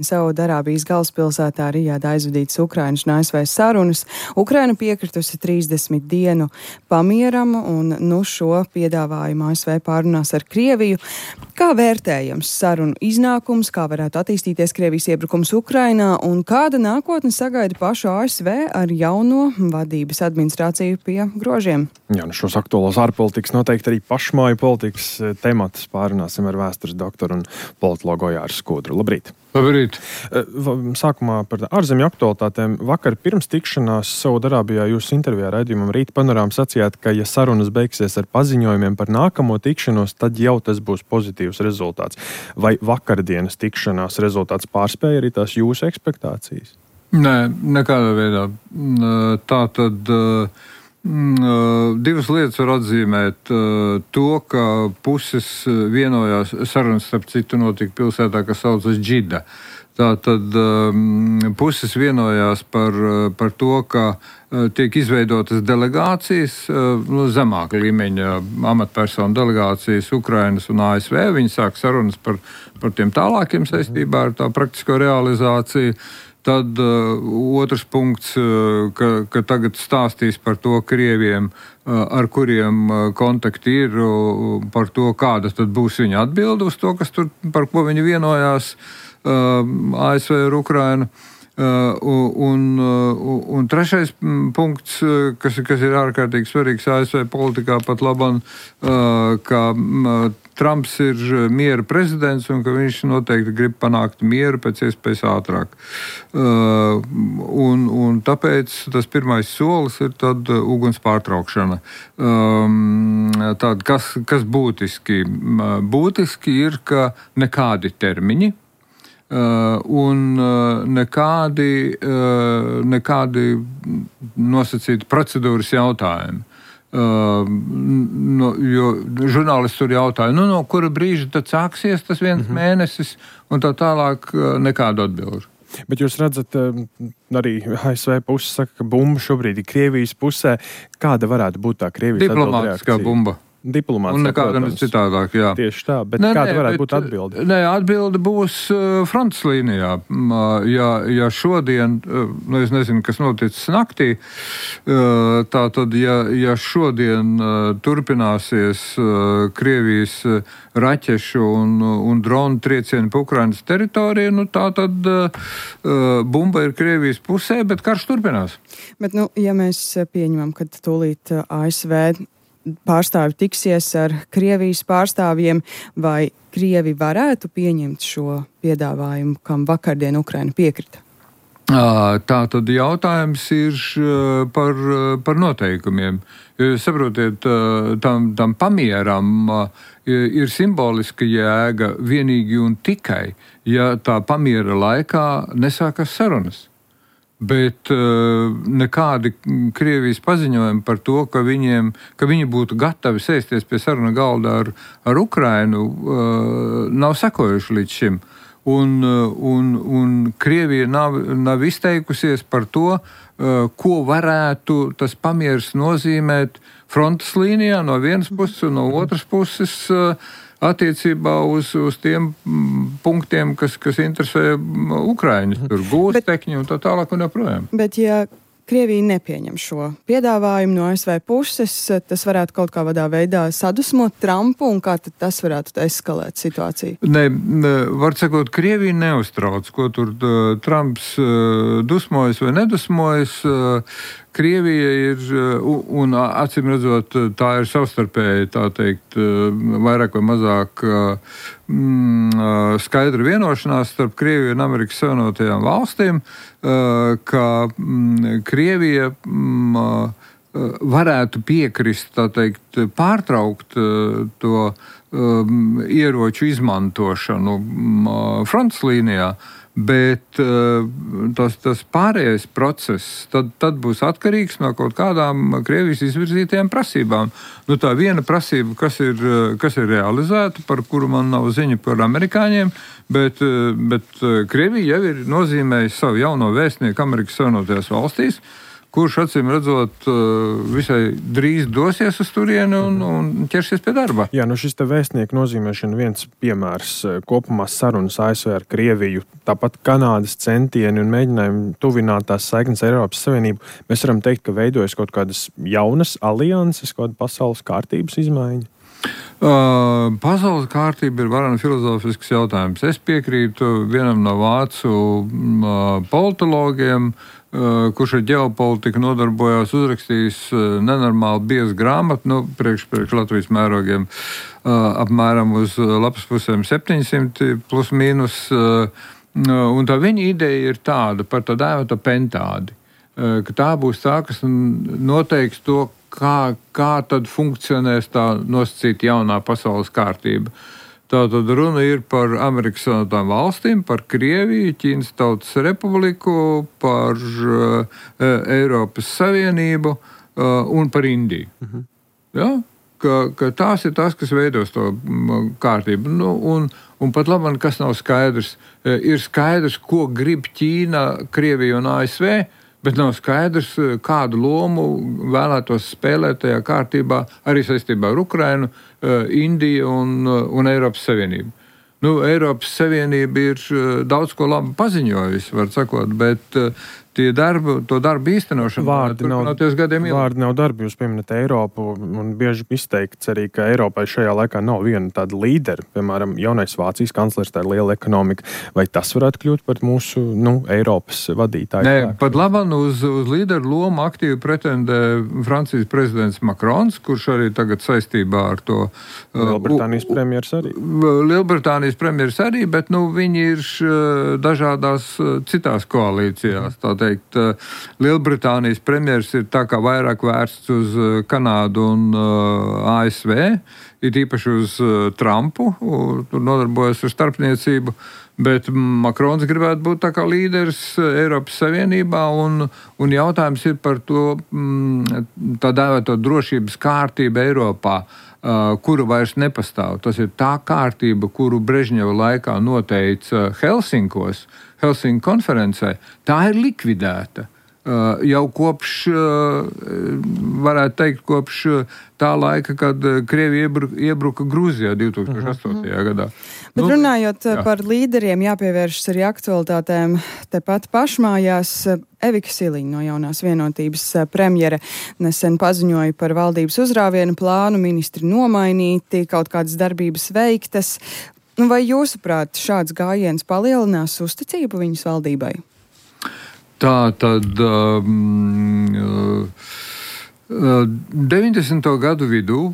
Saudarābijas galvaspilsētā Rijādā aizvadītas Ukrainas un ASV sarunas. Ukraina piekritusi 30 dienu pamieram, un šo piedāvājumu ASV pārunās ar Krieviju. Kā vērtējams sarunu iznākums, kā varētu attīstīties Krievijas iebrukums Ukrainā, un kāda nākotne sagaida pašu ASV ar jauno vadības administrāciju pie grožiem? Jā, šos aktuālos ārpolitikas, noteikti arī pašmāju politikas tematus pārunāsim ar vēstures doktoru un politologu Ojāru Skudru. Labrīt! Labrīt! Sākumā par ārzemju aktualitātēm. Vakar pirms tikšanās Saudarābijā jūsu intervijā raidījumam Rīta panorāmā sacījāt, ka ja sarunas beigsies ar paziņojumiem par nākamo tikšanos, tad jau tas būs pozitīvs rezultāts. Vai vakardienas tikšanās rezultāts pārspēja arī tās jūsu ekspektācijas? Nē, nekādā veidā. Tā tad divas lietas var atzīmēt. To, ka puses vienojās, sarunas starp citu notika pilsētā, kas saucas Džida. Tātad puses vienojās par to, ka tiek izveidotas delegācijas, zemāka līmeņa amatpersonu delegācijas Ukrainas un ASV. Viņi sāk sarunas par tiem tālākiem saistībā ar tā praktisko realizāciju. Tad otrs punkts, ka tagad stāstīs par to Krieviem, ar kuriem kontakti ir, par to, kāda tad būs viņa atbilde uz to, kas tur, par ko viņi vienojās ASV ar Ukrainu. Un trešais punkts, kas ir ārkārtīgi svarīgs ASV politikā pat labam, ka Trumps ir miera prezidents un ka viņš noteikti grib panākt mieru pēc iespējas ātrāk. Un tāpēc tas pirmais solis ir tad uguns pārtraukšana. Tad, kas būtiski? Būtiski ir, ka nekādi termiņi un nekādi nosacīti procedūras jautājumi. Jo žurnālisti tur jautāja, no kura brīža tad sāksies tas viens mēnesis, un tā tālāk nekādu atbildi. Bet jūs redzat, arī ASV puse saka, ka bumba šobrīd ir Krievijas pusē. Kāda varētu būt tā Krievijas diplomātiskā bumba? Un nekāda citādāk, jā. Tieši tā, bet kāda varētu būt atbilde? Atbilde būs frontes līnijā. Ja šodien, es nezinu, kas noticis naktī, tātad, ja šodien turpināsies Krievijas raķešu un dronu triecieni pa Ukrainas teritoriju, tā tad bumba ir Krievijas pusē, bet karš turpinās. Bet, ja mēs pieņemam, ka tūlīt ASV pārstāvi tiksies ar Krievijas pārstāvjiem, vai Krievi varētu pieņemt šo piedāvājumu, kam vakardien Ukraina piekrita? Tā tad jautājums ir par noteikumiem. Saprotiet, tam pamieram ir simboliska jēga vienīgi un tikai, ja tā pamiera laikā nesākas sarunas. Bet nekādi Krievijas paziņojumi par to, ka viņi būtu gatavi sēsties pie saruna galda ar Ukrainu, nav sekojuši līdz šim. Un Krievija nav izteikusies par to, ko varētu tas pamieris nozīmēt frontes līnijā no vienas puses un no otras puses attiecībā uz tiem punktiem, kas interesē Ukraiņus, tur gūstekņi un tā tālāk un joprojām. Bet ja Krievija nepieņem šo piedāvājumu no ASV puses, tas varētu kaut kādā veidā sadusmot Trumpu, un kā tad tas varētu eskalēt situāciju? Var sakot, Krievija neuztrauc, ko tur Trumps dusmojas vai nedusmojas. Krievija ir, un acīm redzot, tā ir savstarpēji, tā teikt, vairāk vai mazāk skaidra vienošanās starp Krieviju un Amerikas Savienotajām valstīm, ka Krievija varētu piekrist, tā teikt, pārtraukt to ieroču izmantošanu frontes līnijā. Bet tas pārējais process tad būs atkarīgs no kaut kādām Krievijas izvirzītajām prasībām. Tā viena prasība, kas ir realizēta, par kuru man nav ziņa par amerikāņiem, bet Krievija jau ir nozīmējusi savu jauno vēstnieku Amerikas Savienotajās valstīs, kurš acīm redzot visai drīz dosies uz turieni un ķersies pie darba. Jā, šis te vēstnieku nozīmēšana viens piemērs kopumā sarunas ASV ar Krieviju, tāpat Kanādas centieni un mēģinājumi tuvināt tās saiknes ar Eiropas Savienību. Mēs varam teikt, ka veidojas kaut kādas jaunas alianses, kaut kāda pasaules kārtības izmaiņa. Pasaules kārtība ir varana filozofisks jautājums. Es piekrītu vienam no vācu politologiem, kurš ar ģeopolitiku nodarbojās, uzrakstījis nenormāli biezu grāmatu, priekš Latvijas mērogiem apmēram uz lapas pusēm 700 plus mīnus. Un tā viņa ideja ir tāda par tā dēvēto pentādi, ka tā būs tā, kas noteiks to, kā tad funkcionēs tā nosacīta jaunā pasaules kārtība. Tātad runa ir par Amerikas Savienotām valstīm, par Krieviju, Ķīnas Tautas Republiku, par Eiropas Savienību un par Indiju. Ja? Ka tās ir tās, kas veidos to kārtību. Un pat labi, kas nav skaidrs, ir skaidrs, ko grib Ķīna, Krievija un ASV, bet nav skaidrs, kādu lomu vēlētos spēlēt tajā kārtībā arī saistībā ar Ukrainu, Indiju un Eiropas Savienību. Eiropas Savienība ir daudz ko labi paziņojusi, var sakot, bet to darbu īstenošana turpināties gadiem ilgi. Vārdi nav darbi, jūs pieminat Eiropu, un bieži izteikts arī, ka Eiropai šajā laikā nav viena tāda līdera, piemēram, jaunais Vācijas kanclers, tā ir liela ekonomika, vai tas varētu kļūt par mūsu, Eiropas vadītāju? Nē, pat labāk uz līderu lomu aktīvi pretendē Francijas prezidents Macrons, kurš arī tagad saistībā ar to Lielbritānijas premjeras arī. Lielbritānijas premjeras arī, bet viņi ir dažādās citās koalīcijās. Tā teikt, Lielbritānijas premjeras ir tā kā vairāk vērsts uz Kanādu un ASV, ir īpaši uz Trumpu, tur nodarbojas ar starpniecību, bet Makrons gribētu būt tā kā līderis Eiropas Savienībā, un jautājums ir par to tā dēvēto drošības kārtību Eiropā, kuru vairs nepastāv. Tas ir tā kārtība, kuru Brežņeva laikā noteica Helsinkos, Helsinku konferencē, tā ir likvidēta. Jau kopš, varētu teikt, kopš tā laika, kad Krievija iebruka Grūzijā 2008. Gadā. Bet runājot par līderiem, jāpievēršas arī aktualitātēm tepat pašmājās. Evika Siliņa no Jaunās vienotības premjere nesen paziņoja par valdības uzrāvienu plānu, ministri nomainīti, kaut kādas darbības veiktas. Vai jūsuprāt šāds gājiens palielinās uzticību viņas valdībai? Tā tad 90. gadu vidū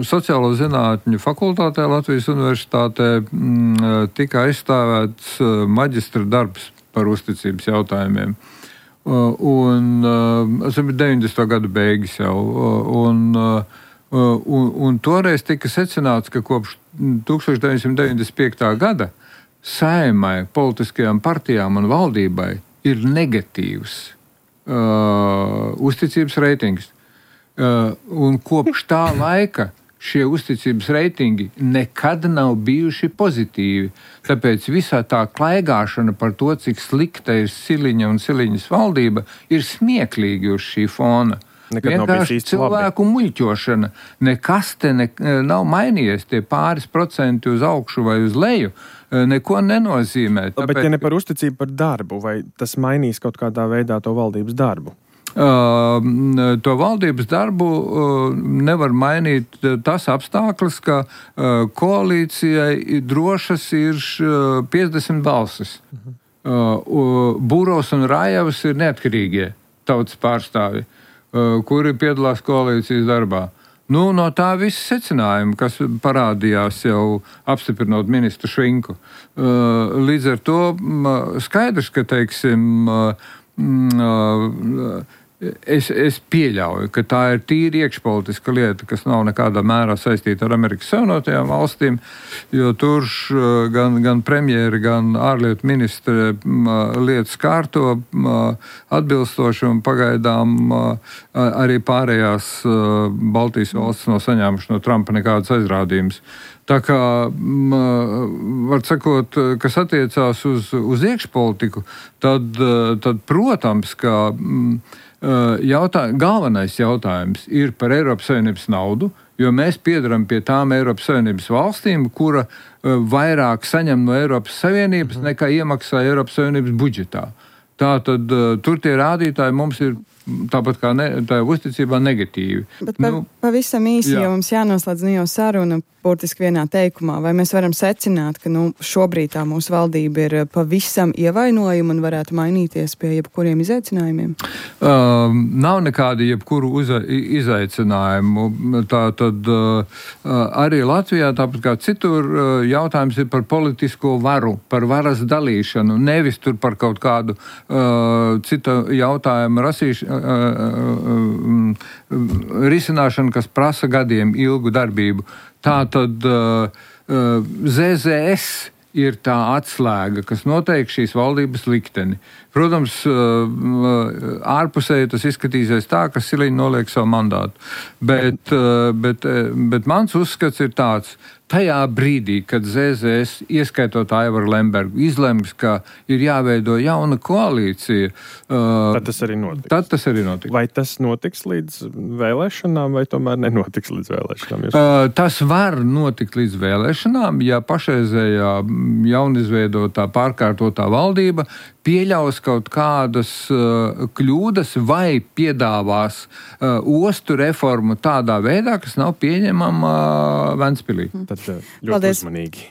sociālo zinātņu fakultātē Latvijas universitātē tika aizstāvēts maģistra darbs par uzticības jautājumiem. Tas bija 90. gadu beigas jau. Un toreiz tika secināts, ka kopš 1995. gada Saeimai, politiskajām partijām un valdībai ir negatīvs uzticības reitings. Un kopš tā laika šie uzticības reitingi nekad nav bijuši pozitīvi. Tāpēc visā tā klaigāšana par to, cik slikta ir Siliņa un Siliņas valdība, ir smieklīgi uz šī fona. Vienkārši cilvēku muļķošana. Nekas te nav mainījies, tie pāris procenti uz augšu vai uz leju neko nenozīmē. Bet ja ne par uzticību par darbu, vai tas mainīs kaut kādā veidā to valdības darbu? To valdības darbu nevar mainīt tas apstākļus, ka koalīcijai drošas ir 50 balsis. Būros un Rājevs ir neatkarīgie tautas pārstāvi, kuri piedalās koalīcijas darbā. No tā visa secinājuma, kas parādījās jau apstiprinot ministru Švinku. Līdz ar to skaidrs, ka, teiksim, es pieļauju, ka tā ir tīri iekšpolitiska lieta, kas nav nekādā mērā saistīta ar Amerikas Savienotajām valstīm, jo tur gan premjeri, gan ārlietu ministri lietas kārto atbilstoši un pagaidām arī pārējās Baltijas valstis nav saņēmuši no Trumpa nekādas aizrādījumus. Tā kā, var sakot, kas attiecās uz iekšpolitiku, tad protams, ka galvenais jautājums ir par Eiropas Savienības naudu, jo mēs piedaram pie tām Eiropas Savienības valstīm, kura vairāk saņem no Eiropas Savienības nekā iemaksā Eiropas Savienības budžetā. Tātad tur tie rādītāji mums ir tāpat kā tā uzticībā negatīvi. Bet pavisam īsi, jo mums jānoslēdz jau saruna burtiski vienā teikumā, vai mēs varam secināt, ka šobrīd tā mūsu valdība ir pavisam ievainojuma un varētu mainīties pie jebkuriem izaicinājumiem? Nav nekādi jebkuru izaicinājumu. Tātad arī Latvijā, tāpat kā citur, jautājums ir par politisko varu, par varas dalīšanu, nevis tur par kaut kādu citu jautājumu risināšanu, kas prasa gadiem ilgu darbību. Tātad ZZS ir tā atslēga, kas noteikti šīs valdības likteni. Protams, ārpusēji tas izskatīsies tā, ka Siliņa noliek savu mandātu. Bet mans uzskats ir tāds, tajā brīdī, kad ZZS, ieskaitot Aivaru Lembergu, izlems, ka ir jāveido jauna koalīcija, tad tas arī notiks. Vai tas notiks līdz vēlēšanām, vai tomēr nenotiks līdz vēlēšanām? Tas var notikt līdz vēlēšanām, ja pašreizējā jaunizveidotā pārkārtotā valdība pieļaus kaut kādas kļūdas vai piedāvās ostu reformu tādā veidā, kas nav pieņemama Ventspilī. Tad ļoti uzmanīgi.